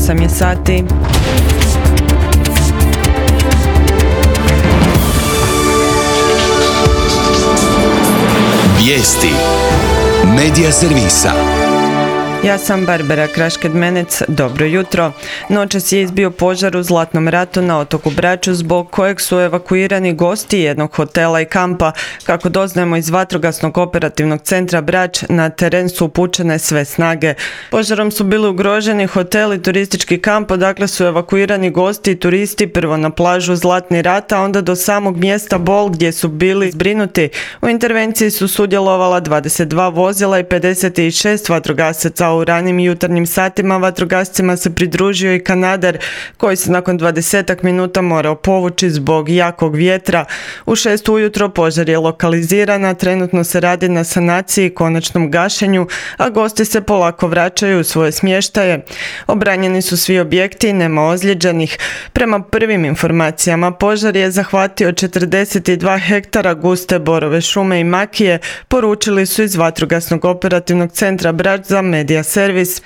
8 je sati. Vijesti Medija servisa. Ja sam Barbara Krašked-Menec, dobro jutro. Noćas je izbio požar u Zlatnom ratu na otoku Braču, zbog kojeg su evakuirani gosti jednog hotela i kampa. Kako doznajemo iz Vatrogasnog operativnog centra Brač, na teren su upućene sve snage. Požarom su bili ugroženi hotel i turistički kamp, odakle su evakuirani gosti i turisti prvo na plažu Zlatni rat, a onda do samog mjesta Bol gdje su bili zbrinuti. U intervenciji su sudjelovala 22 vozila i 56 vatrogasaca. U ranim jutarnjim satima vatrogascima se pridružio i kanadar koji se nakon 20 minuta morao povući zbog jakog vjetra. U 6 ujutro požar je lokaliziran, a trenutno se radi na sanaciji i konačnom gašenju, a gosti se polako vraćaju u svoje smještaje. Obranjeni su svi objekti i nema ozlijeđenih. Prema prvim informacijama požar je zahvatio 42 hektara guste borove šume i makije, poručili su iz Vatrogasnog operativnog centra Brač za Medija servis.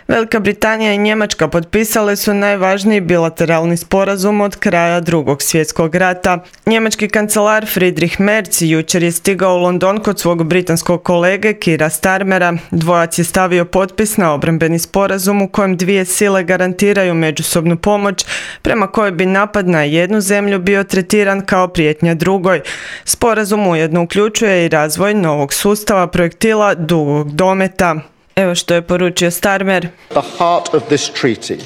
Velika Britanija i Njemačka potpisale su najvažniji bilateralni sporazum od kraja Drugog svjetskog rata. Njemački kancelar Friedrich Merz jučer je stigao u London kod svog britanskog kolege Keira Starmera. Dvojac je stavio potpis na obrambeni sporazum u kojem dvije sile garantiraju međusobnu pomoć, prema kojoj bi napad na jednu zemlju bio tretiran kao prijetnja drugoj. Sporazum ujedno uključuje i razvoj novog sustava projektila dugog dometa. Evo što je poručio Starmer.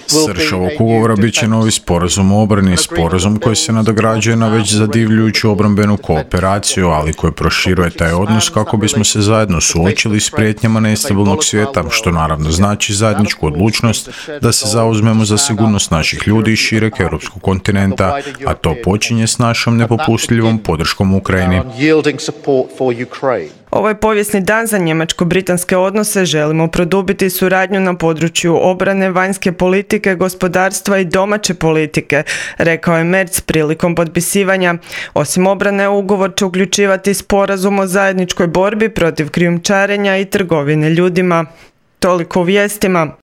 Srž ovog ugovora bit će novi sporazum o obrani, sporazum koji se nadograđuje na već zadivljujuću obrambenu kooperaciju, ali koji proširuje taj odnos kako bismo se zajedno suočili s prijetnjama nestabilnog svijeta, što naravno znači zajedničku odlučnost da se zauzmemo za sigurnost naših ljudi i šireg europskog kontinenta, a to počinje s našom nepopustljivom podrškom Ukrajini. Ovo je povijesni dan za njemačko-britanske odnose. Želimo produbiti suradnju na području obrane, vanjske politike, gospodarstva i domaće politike, rekao je Merz prilikom potpisivanja. Osim obrane, ugovor će uključivati sporazum o zajedničkoj borbi protiv krijumčarenja i trgovine ljudima. Toliko u vijestima.